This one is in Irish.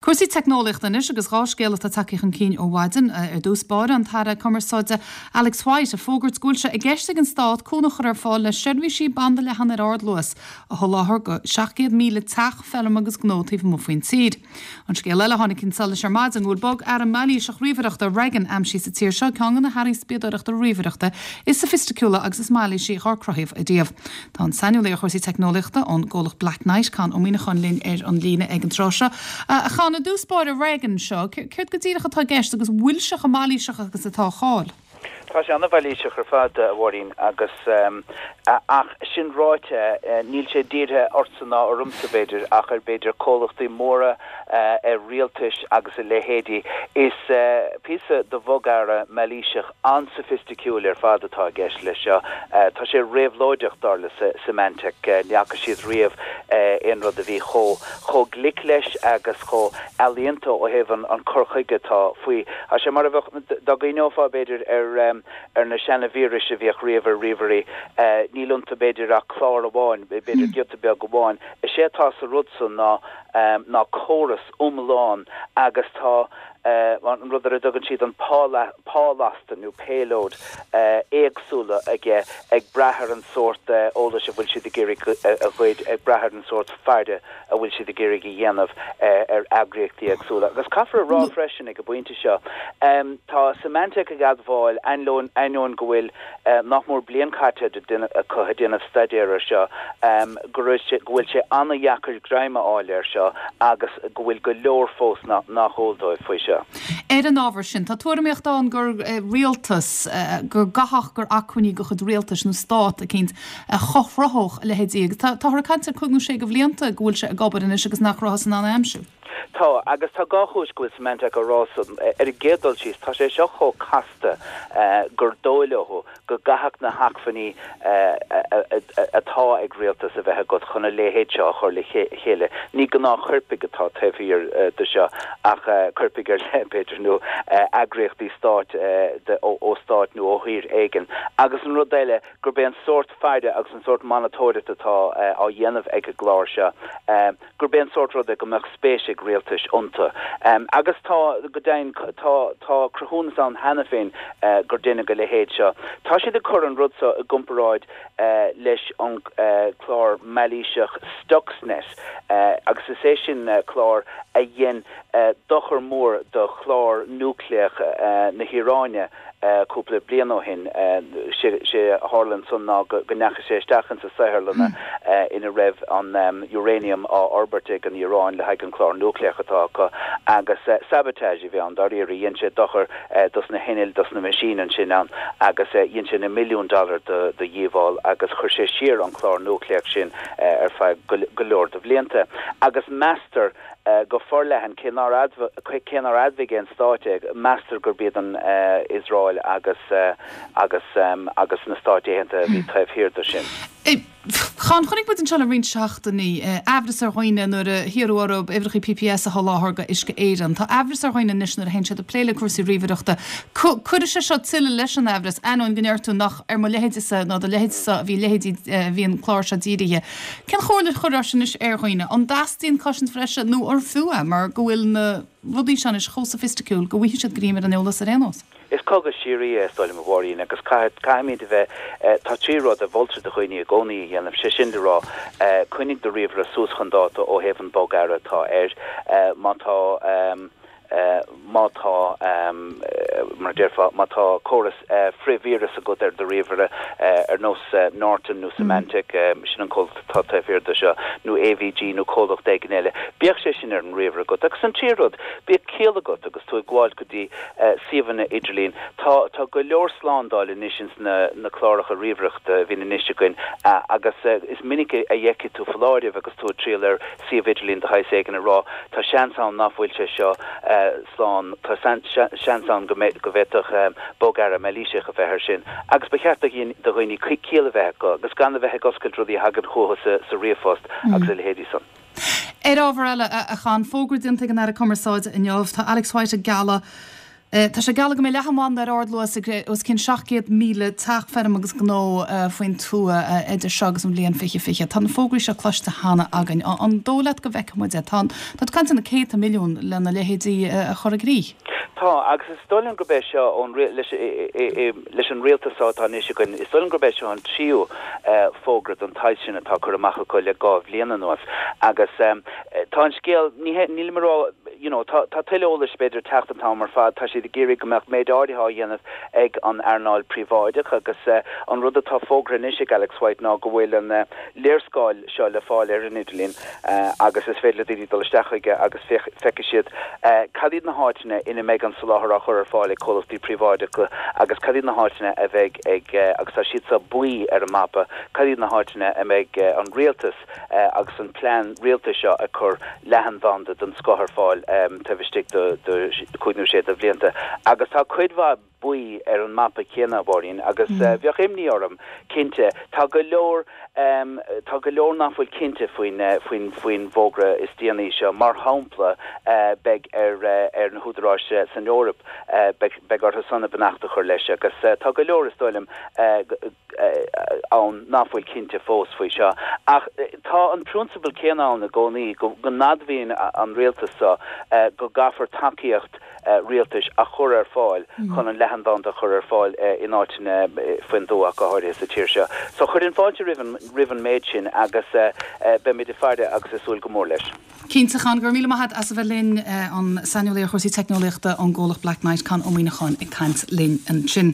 Cúrsaí teicneolaíochta anois agus 2 scéal atá tagtha chun cinn ó mhaidin. Ar dtús báire, an tAire Cumarsáide Alex White ag fógairt go bhfuil sé i gceist ag an Stát cúnamh a chur ar fáil le seirbhísí banda leathan ar ardluas a sholáthar go 700,000 teach, feirm agus gnó taobh amuigh faoin tír. An scéal eile a tháinig chun solais ar maidin go bhfuil bogearra mailíseach ríomhaireachta Regin aimsithe sa tír seo, ceann de na hearraí spiadóireachta ríomhaireachta is soifisticiúla agus is mailísí dhár cruthaíodh ariamh. Tá an saineolaí ar chúrsaí teicneolaíochta ón gcomhlacht Blacknight, Conn Ó Muíneacháin linn ar an líne ag an tráth seo. A Chonn, i dtús báire, Regin seo, céard go díreach atá i gceist agus bhfuil sé chomh mailíseach agus atá a cháil? Tá sé an-mhailíseach ar fad, a Mháirín, agus, ach sin ráite, níl sé dírithe ortsa ná ormsa, b'fhéidir, ach ar, b'fhéidir, comhlachtaí móra, ar rialtais agus a leithéidí. Is píosa de bhogearra mailíseach an-soifisticiúil ar fad atá i gceist leis seo. Tá sé réabhlóideach, dar le Symantec. Ní fhaca siad riamh aon rud a bhí chomh glic leis agus chomh ealaíonta ó thaobh an cur chuige atá faoi. Tá sé mar a bheadh, dá gcuimhneofá, b'fhéidir, ar na seana-víris a bhíodh riamh ar ríomhairí, níl iontu, b'fhéidir, ach clár amháin, b'fhéidir giota beag amháin. Is é atá sa rud san ná ná córas iomlán agus tá an rud ar a dtugann siad an pálasta nó payload éagsúla aige ag brath ar an sórt eolais a bhfuil siad ag iarraidh a ghoid, ag brath ar an sórt faire a bhfuil siad ag iarraidh a dhéanamh ar eagraíochtaí éagsúla. Agus caithfear a rá freisin ag an bpointe seo, tá Symantec ag admháil, ainneoin go bhfuil nach mór bliain caite acu ag déanamh staidéir air seo, go raibh sé, go bhfuil sé an-dheacair greim a fháil air seo agus go bhfuil go leor fós nach eol dóibh faoi seo. Ar an ábhar sin, tá tuairimíocht ann gur rialtas, go gcaithfeadh gur acmhainní de chuid rialtais nó stát eicínt a chothródh a leithéidí agus táthar ag caint ar chúig nó sé de bhlianta go bhfuil sé ag obair anois agus nach rabhthas in ann é a aimsiú. Tá, agus tá dhá chúis go bhfuil Symantec á rá san. Ar an gcéad dul síos, tá sé seo chomh casta gur dóigh leo go gcaithfeadh na hacmhainní atá ag rialtas a bheith agat chun a leithéid seo a chur le chéile. Ní gnáthchoirpigh atá taobh thiar de seo ach coirpigh ar leith, b'fhéidir, nó eagraíochtaí stáit ó stát nó ó thír éigin. Agus an rud eile, gurb é an sórt faire agus an sórt monatóireachta atá á dhéanamh ag an gclár seo, gurb é an sórt rud é go mbeadh spéis ag rialtais iontu. Agus tá, go deimhin, tá, tá cruthúnas ann cheana féin gur deineadh a leithéid seo. Tá siad ag cur an rud seo i gcomparáid leis an clár mailíseach Stuxnet agus is é sin clár a dhein dochar mór do chlár núicléach na hIaráine. Cúpla bliain ó shin, sé a tharla ansan ná go ndeachaigh sé isteach insa saotharlanna ina raibh an uranium á fhorbairt ag an Iaráin le haghaidh an clár núicléach atá acu agus sabotage a bhí ann dáiríre. Dhein sé dochar dos na hinnill, dos na meaisín ansin ann agus dhein sé na milliúin dollar de dhíobháil agus chuir sé siar an clár núicléach sin ar feadh go leor de bhlianta. Agus meastar Go forleathan, cé nár cé nár admhaigh aon stáit é, meastar gurb iad an Iosrael agus agus agus na Stáit Aontaithe a bhí taobh thiar de sin. Chonn, chonaic muid anseo le roinnt seachtainí, aimhreas ar dhaoine nuair a hiarradh orthu uimhreacha PPS a sholáthar go Uisce Éireann. Tá aimhreas ar dhaoine anois nuair a théann siad ag plé le cúrsaí ríomhaireachta. Cuirfidh sé seo tuilleadh leis an aimhreas, ainneoin go ndeir tú nach ar mo leithéidese ná do leithéidese a bhí leithéidí a bhí an clár seo dírithe. Cén chomhairle a chuirfeá anois ar dhaoine? An dteastaíonn cosaint bhreise nó ar fiú é mar go bhfuil na rudaí seo anois chomh soifisticiúil go bhfaighidh siad greim ar an eolas ar aon nós? Is cogadh síoraí é, is dóigh liom, a Mháirín, agus caithfidh, caithfimid a bheith, tá trí rud a mholtar do dhaoine i gcónaí a dhéanamh, sé sin le rá, coinnigh do ríomhaire suas chun dáta ó thaobh an bogearra atá air, má tá, má tá, mar a déarfá, má tá córas frith-víreas agat ar do ríomhaire, ar nós Norton nó Symantec, sin an comhlacht atá taobh thiar de seo, nó AVG nó comhlacht éigin eile, bíodh sé sin ar an ríomhaire agat. Agus an tríú rud, bíodh ciall agat agus tú ag gabháil go dtí suíomhanna idirlín. Tá, tá go leor slándáil anois ins na, na cláracha ríomhaireachta a bhíonn anois againn agus is minic a fheicfidh tú foláireamh agus tú ag triall ar suíomh idirlín de shaghas éigin ag rá, tá seans ann nach bhfuil sé seo slán, tá seans ann go bhféadfadh bogearra mailíseach a bheith air sin. Agus ba cheart do dhaoine ciall a bheith acu agus gan a bheith ag oscailt rudaí a thagann chucu sa ríomhphost agus a leithéidí san. Ar ábhar eile, a Chon, fógra déanta ag an Aire Cumarsáide inniu, tá Alex White ag gealladh. Tá sé geallta go mbeidh leathanbhanda ar ardluas ag os cionn 700,000 teach, feirm agus gnó faoin tuath idir seo agus an bhliain 2020. Tá na fógraí seo cloiste cheana againn. An dóigh leat go bhfeicfidh muid é? Tá tú ag caint ar na céadta milliún lena leithéidí a chur i gcrích. Tá, agus is dóigh liom gurb é seo ón leis leis an rialtas seo atá anois againn, is dóigh liom gurb é seo an tríú fógra den tsaghas sin atá curtha amach acu le 2 bhliain anuas. Agus tá an scéal, ní hé, nílim ag rá, you know, tá, tá tuilleadh eolais b'fhéidir ag teacht an t-am ar fad, tá siad ag iarraidh go mbeadh méid áirithe á dhéanamh ag an earnáil príobháideach agus an rud atá fógartha anois ag Alex White ná go bhfuil an léarscáil seo le fáil ar an idirlíon agus is féidir le daoine dul isteach chuige agus feicfidh siad cad iad na háiteanna ina mbeidh an soláthar á chur ar fáil ag comhlachtaí príobháideacha agus cad iad na háiteanna a bheidh ag, agus tá siad seo buí ar an mapa, cad iad na háiteanna a mbeidh an rialtas agus an plean rialtais seo ag cur leathanbhanda den scoth ar fáil taobh istigh de chúig nó sé de bhlianta. Agus tá cuid mhaith buí ar an mapa céanna, a Mháirín, agus bheadh imní orm, cinnte. Tá go leor, tá go leor nach bhfuil cinnte faoin, faoin, faoin bhfógra is déanaí seo. Mar shampla, beidh ar, ar na húdaráis san Eoraip, beidh, beidh orthu san a mbeannacht a chur leis agus tá go leor, is dóigh liom, ann nach bhfuil cinnte fós faoi seo. Ach tá an prionsabal céanna ann i gcónaí, go n-admhaíonn an rialtas seo go gcaithfear tacaíocht rialtais a chur ar fáil chun an leathanbhanda a chur ar fáil in áiteanna faoin dtuath, go háirithe sa tír seo. So chuirfinn fáilte roimh an méid sin agus beimid ag faire agus ag súil go mór leis. Cinnte, a Chon, go raibh míle maith agat as a bheith linn, an saineolaí ar chúrsaí teicneolaíochta ón gcomhlacht Blacknight, Con Ó Muíneacháin ag caint linn ansin.